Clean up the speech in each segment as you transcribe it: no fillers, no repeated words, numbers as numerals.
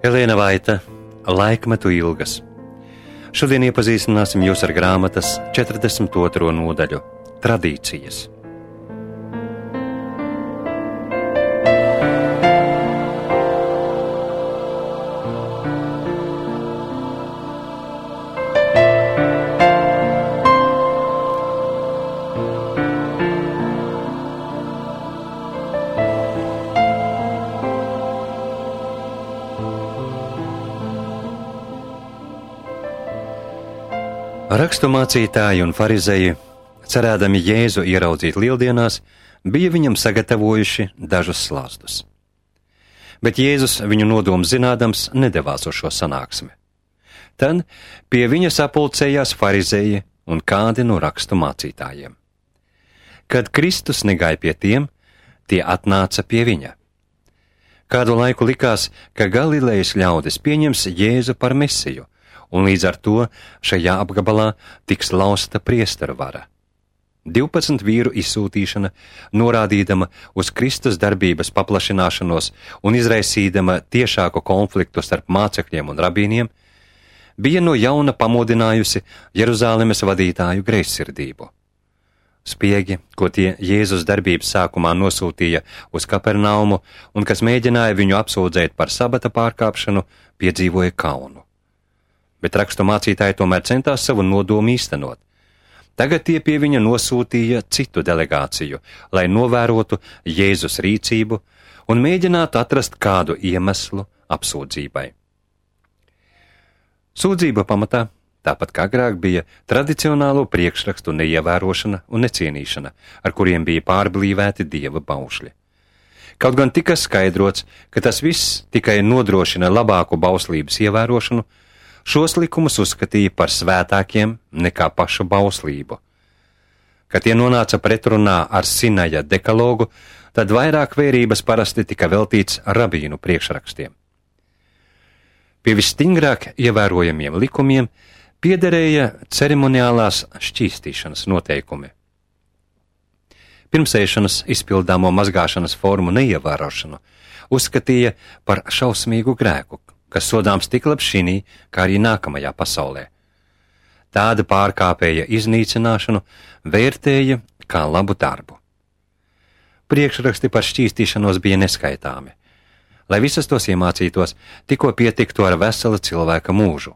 Elēna Vaita, Laikmetu ilgas. Šodien iepazīstināsim jūs ar grāmatas 42. nodaļu – Tradīcijas. Raksturmācītāji un farizeji, cerēdami Jēzu ieraudzīt lieldienās, bija viņam sagatavojuši dažus slāstus. Bet Jēzus viņu nodomu zinādams nedevās uz šo sanāksmi. Tad pie viņa sapulcējās farizeji un kādi no raksturmācītājiem. Kad Kristus negāja pie tiem, tie atnāca pie viņa. Kādu laiku likās, ka Galilejas ļaudis pieņems Jēzu par Mesiju, un līdz ar to šajā apgabalā tiks lausta priesteru vara. 12 vīru izsūtīšana, norādīdama uz Kristus darbības paplašināšanos un izraisīdama tiešāku konfliktu starp mācekļiem un rabīniem, bija no jauna pamodinājusi Jeruzālemes vadītāju greizsirdību. Spiegi, ko tie Jēzus darbības sākumā nosūtīja uz Kapernaumu un kas mēģināja viņu apsūdzēt par sabata pārkāpšanu, piedzīvoja kaunu. Bet raksturmācītāji tomēr centās savu nodomu īstenot. Tagad tie pie viņa nosūtīja citu delegāciju, lai novērotu Jēzus rīcību un mēģinātu atrast kādu iemeslu apsūdzībai. Sūdzība pamatā, tāpat kā agrāk, bija tradicionālo priekšrakstu neievērošana un necienīšana, ar kuriem bija pārblīvēti Dieva baušļi. Kaut gan tika skaidrots, ka tas viss tikai nodrošina labāku bauslības ievērošanu, šos likumus uzskatīja par svētākiem nekā pašu bauslību. Kad tie nonāca pretrunā ar Sinaja dekalogu, tad vairāk vērības parasti tika veltīts rabīnu priekšrakstiem. Pie visstingrāk ievērojamiem likumiem piederēja ceremoniālās šķīstīšanas noteikumi. Pirms ēšanas izpildāmo mazgāšanas formu neievērošanu uzskatīja par šausmīgu grēku, kas sodāms tik labi šinī, kā arī nākamajā pasaulē. Tāda pārkāpēja iznīcināšanu vērtēja kā labu darbu. Priekšraksti par šķīstīšanos bija neskaitāmi. Lai visas tos iemācītos, tikko pietiktu ar vesela cilvēka mūžu.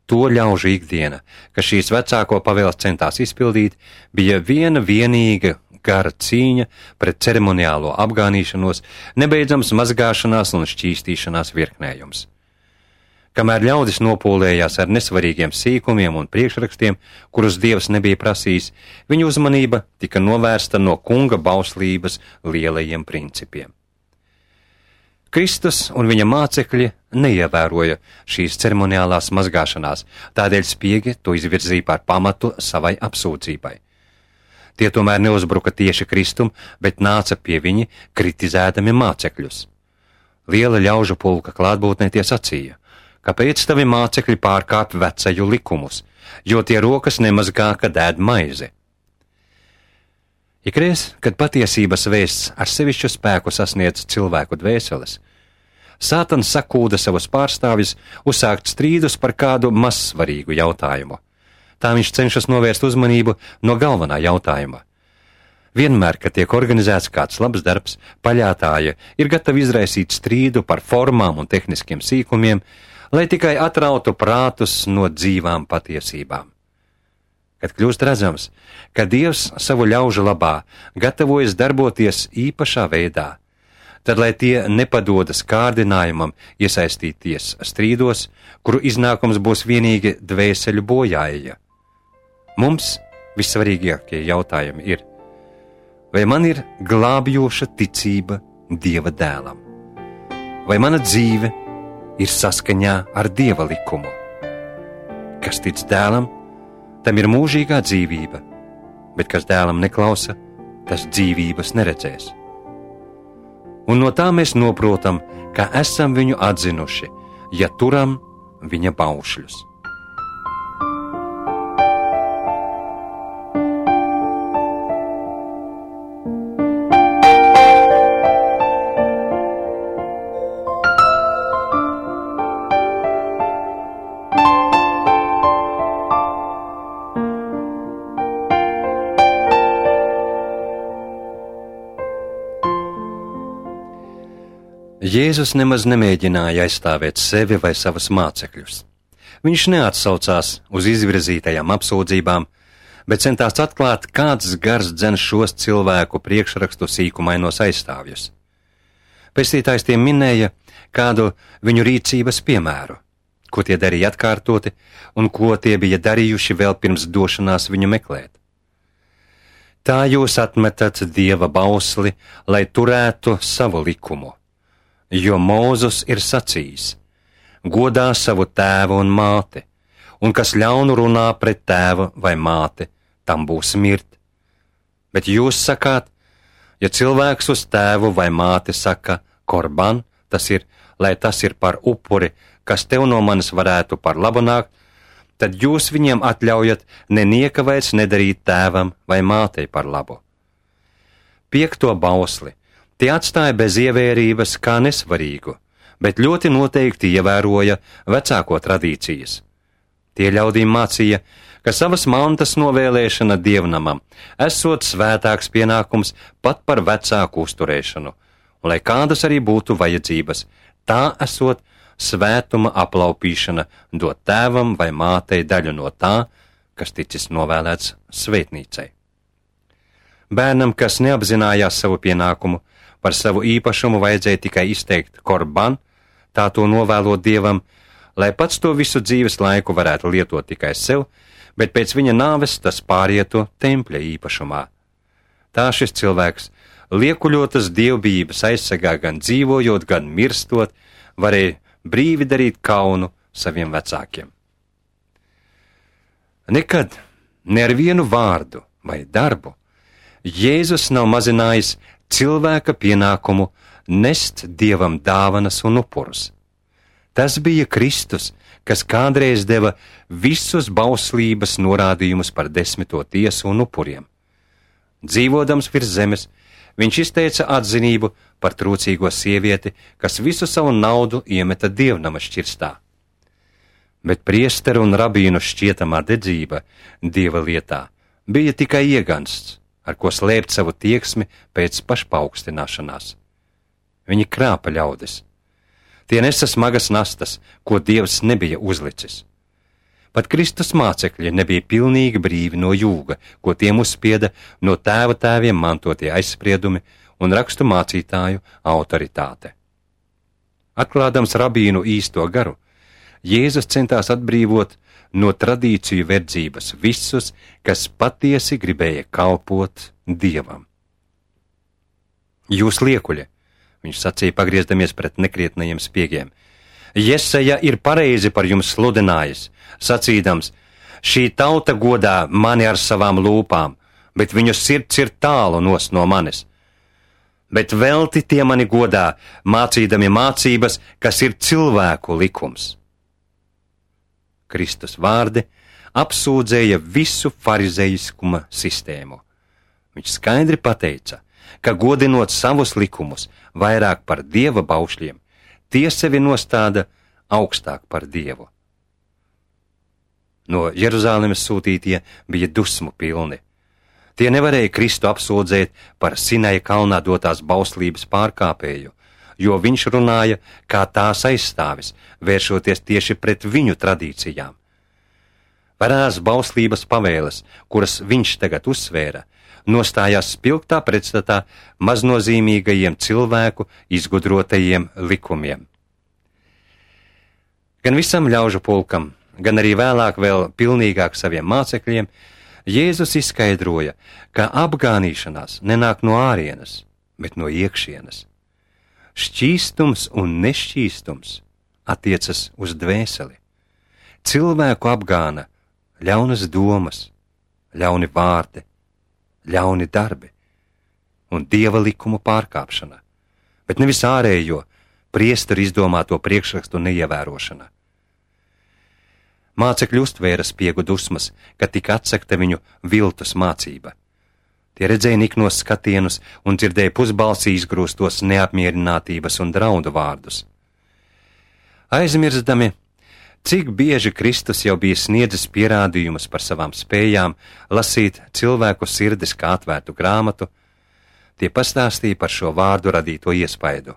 To ļaužu ikdiena, kas šīs vecāko pavēles centās izpildīt, bija viena vienīga gara cīņa pret ceremoniālo apgānīšanos, nebeidzams mazgāšanās un šķīstīšanās virknējums. Kamēr ļaudis nopūlējās ar nesvarīgiem sīkumiem un priekšrakstiem, kurus Dievs nebija prasījis, viņu uzmanība tika novērsta no kunga bauslības lielajiem principiem. Kristus un viņa mācekļi neievēroja šīs ceremoniālās mazgāšanās, tādēļ spiegi to izvirzīja par pamatu savai apsūdzībai. Tie tomēr neuzbruka tieši Kristum, bet nāca pie viņa, kritizēdami mācekļus. Liela ļaužu pulka klātbūtnē tie sacīja: kāpēc tavi mācekļi pārkāpj vecaju likumus, jo tie rokas nemazgā, kad ēd maizi? Ikreiz, kad patiesības vēsts ar sevišķu spēku sasniedz cilvēku dvēseles, Sātans sakūda savus pārstāvjus uzsākt strīdus par kādu mazsvarīgu jautājumu. Tā viņš cenšas novērst uzmanību no galvenā jautājuma. Vienmēr, kad tiek organizēts kāds labs darbs, paļātāji ir gatavi izraisīt strīdu par formām un tehniskiem sīkumiem, lai tikai atrautu prātus no dzīvām patiesībām. Kad kļūst redzams, ka Dievs savu ļaužu labā gatavojas darboties īpašā veidā, tad lai tie nepadodas kārdinājumam iesaistīties strīdos, kuru iznākums būs vienīgi dvēseļu bojāja. Mums vissvarīgākie jautājumi ir: vai man ir glābjoša ticība Dieva dēlam? Vai mana dzīve ir saskaņā ar Dieva likumu? Kas tic dēlam, tam ir mūžīgā dzīvība, bet kas dēlam neklausa, tas dzīvības neredzēs. Un no tā mēs noprotam, ka esam viņu atzinuši, ja turam viņa baušļus. Jēzus nemaz nemēģināja aizstāvēt sevi vai savus mācekļus. Viņš neatsaucās uz izvirzītajām apsūdzībām, bet centās atklāt, kāds gars dzen šos cilvēku priekšrakstu sīkumainos aizstāvjus. Pestītājs tiem minēja kādu viņu rīcības piemēru, ko tie darīja atkārtoti un ko tie bija darījuši vēl pirms došanās viņu meklēt. Tā jūs atmetat Dieva bausli, lai turētu savu likumu, jo Mūzes ir sacījis: godā savu tēvu un māti, un kas ļaunu runā pret tēvu vai māti, tam būs mirt. Bet jūs sakāt, ja cilvēks uz tēvu vai māti saka korban, tas ir, lai tas ir par upuri, kas tev no manis varētu par labu nākt, tad jūs viņiem atļaujat nenieka vairs nedarīt tēvam vai mātei par labu. 5. bausli tie atstāja bez ievērības kā nesvarīgu, bet ļoti noteikti ievēroja vecāko tradīcijas. Tie ļaudīm mācīja, ka savas mantas novēlēšana dievnamam esot svētāks pienākums pat par vecāku uzturēšanu, un lai kādas arī būtu vajadzības, tā esot svētuma aplaupīšana dot tēvam vai mātei daļu no tā, kas ticis novēlēts svētnīcai. Bērnam, kas neapzinājās savu pienākumu, par savu īpašumu vajadzēja tikai izteikt korban, tā to novēlot Dievam, lai pats to visu dzīves laiku varētu lietot tikai sev, bet pēc viņa nāves tas pārietu tempļa īpašumā. Tā šis cilvēks, liekuļotas dievbijības aizsargā gan dzīvojot, gan mirstot, varēja brīvi darīt kaunu saviem vecākiem. Nekad, ne ar vienu vārdu vai darbu, Jēzus nav mazinājis cilvēka pienākumu nest Dievam dāvanas un upurus. Tas bija Kristus, kas kādreiz deva visus bauslības norādījumus par 10. tiesu un upuriem. Dzīvodams virs zemes, viņš izteica atzinību par trūcīgo sievieti, kas visu savu naudu iemeta dievnama šķirstā. Bet priesteru un rabīnu šķietamā dedzība Dieva lietā bija tikai iegansts, ar ko slēpt savu tieksmi pēc pašpaaugstināšanās. Viņi krāpa ļaudis. Tie nesa smagas nastas, ko Dievs nebija uzlicis. Pat Kristus mācekļi nebija pilnīgi brīvi no jūga, ko tiem uzspieda no tēva tēviem mantotie aizspriedumi un rakstu mācītāju autoritāte. Atklādams rabīnu īsto garu, Jēzus centās atbrīvot no tradīciju verdzības visus, kas patiesi gribēja kalpot Dievam. Jūs liekuļi, viņš sacīja, pagriezdamies pret nekrietnajiem spiegiem, Jesaja ir pareizi par jums sludinājis, sacīdams: šī tauta godā mani ar savām lūpām, bet viņu sirds ir tālu nos no manis. Bet velti tie mani godā, mācīdami mācības, kas ir cilvēku likums. Kristus vārdi apsūdzēja visu farizeiskuma sistēmu. Viņš skaidri pateica, ka godinot savus likumus vairāk par Dieva baušļiem, tie sevi nostāda augstāk par Dievu. No Jeruzalemes sūtītie bija dusmu pilni. Tie nevarēja Kristu apsūdzēt par Sinaja kalnā dotās bauslības pārkāpēju, jo viņš runāja kā tās aizstāvis, vēršoties tieši pret viņu tradīcijām. Varās bauslības pavēles, kuras viņš tagad uzsvēra, nostājās spilgtā pretstatā maznozīmīgajiem cilvēku izgudrotajiem likumiem. Gan visam ļaužu pulkam, gan arī vēlāk vēl pilnīgāk saviem mācekļiem, Jēzus izskaidroja, ka apgānīšanās nenāk no ārienes, bet no iekšienes. Šķīstums un nešķīstums attiecas uz dvēseli. Cilvēku apgāna ļaunas domas, ļauni vārdi, ļauni darbi un Dieva likumu pārkāpšana, bet nevis ārējo priesteru izdomāto priekšrakstu neievērošana. Mācekļi uztvēra spiegu dusmas, kad tika atsekta viņu viltus mācība. Tie redzēja niknos skatienus un dzirdēja pusbalsī izgrūstos neapmierinātības un draudu vārdus. Aizmirstami, cik bieži Kristus jau bija sniedzis pierādījumus par savām spējām lasīt cilvēku sirdis kā atvērtu grāmatu, tie pastāstīja par šo vārdu radīto iespaidu.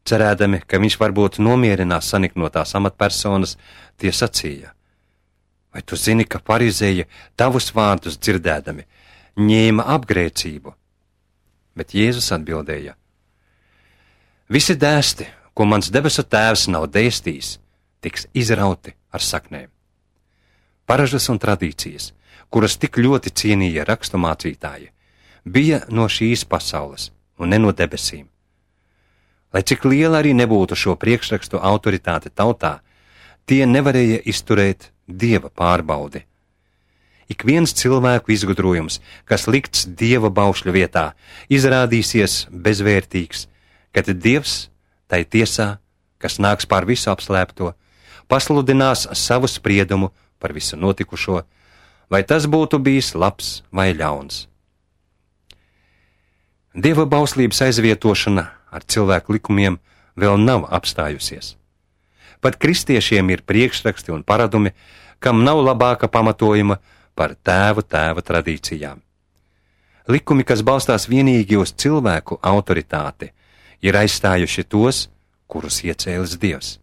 cerēdami, ka viņš varbūt nomierinās saniknotās amatpersonas, tie sacīja: vai tu zini, ka farizēji tavus vārdus dzirdēdami ņēma apgrēcību? Bet Jēzus atbildēja: visi dēsti, ko mans debesu tēvs nav dēstījis, tiks izrauti ar saknēm. Paražas un tradīcijas, kuras tik ļoti cienīja raksturmācītāji, bija no šīs pasaules un ne no debesīm. Lai cik liela arī nebūtu šo priekšrakstu autoritāte tautā, tie nevarēja izturēt Dieva pārbaudi. Ik viens cilvēku izgudrojums, kas likts Dieva baušļu vietā, izrādīsies bezvērtīgs, kad Dievs tai tiesā, kas nāks pār visu apslēpto, pasludinās savu spriedumu par visu notikušo, vai tas būtu bijis labs vai ļauns. Dieva bauslības aizvietošana ar cilvēku likumiem vēl nav apstājusies. Pat kristiešiem ir priekšraksti un paradumi, kam nav labāka pamatojuma par tēva tradīcijām. Likumi, kas balstās vienīgi uz cilvēku autoritāti, ir aizstājuši tos, kurus iecēlis Dievs.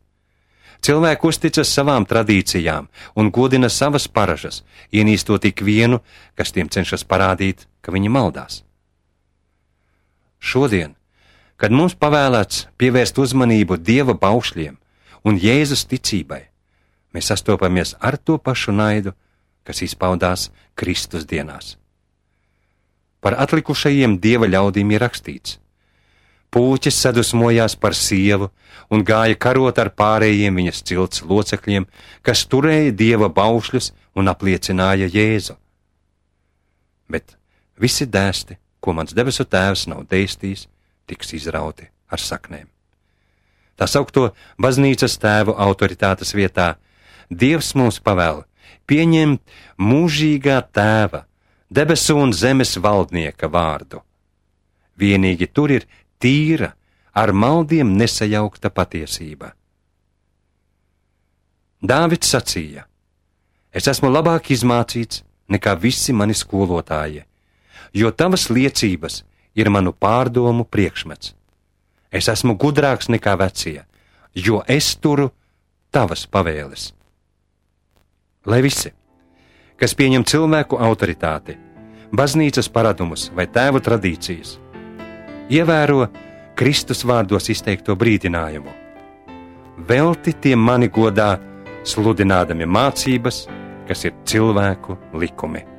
Cilvēki uzticas savām tradīcijām un godina savas paražas, ienīstot ik vienu, kas tiem cenšas parādīt, ka viņi maldās. Šodien, kad mums pavēlēts pievērst uzmanību Dieva baušļiem un Jēzus ticībai, mēs sastopamies ar to pašu naidu, kas izpaudās Kristus dienās. Par atlikušajiem Dieva ļaudīm ir rakstīts: Pūķis sadusmojās par sievu un gāja karot ar pārējiem viņas cilts locekļiem, kas turēja Dieva baušļus un apliecināja Jēzu. Bet visi dēsti, ko mans debesu tēvs nav dēstījis, tiks izrauti ar saknēm. Tā saukto baznīcas tēvu autoritātes vietā Dievs mums pavēl pieņemt mūžīgā tēva, debesu un zemes valdnieka vārdu. Vienīgi tur ir tīra, ar maldiem nesajaukta patiesība. Dāvids sacīja: es esmu labāk izmācīts nekā visi mani skolotāji, jo tavas liecības ir manu pārdomu priekšmets. Es esmu gudrāks nekā vecie, jo es turu tavas pavēles. Lai visi, kas pieņem cilvēku autoritāti, baznīcas paradumus vai tēvu tradīcijas, ievēro Kristus vārdos izteikto brīdinājumu: velti tie mani godā, sludinādami mācības, kas ir cilvēku likumi.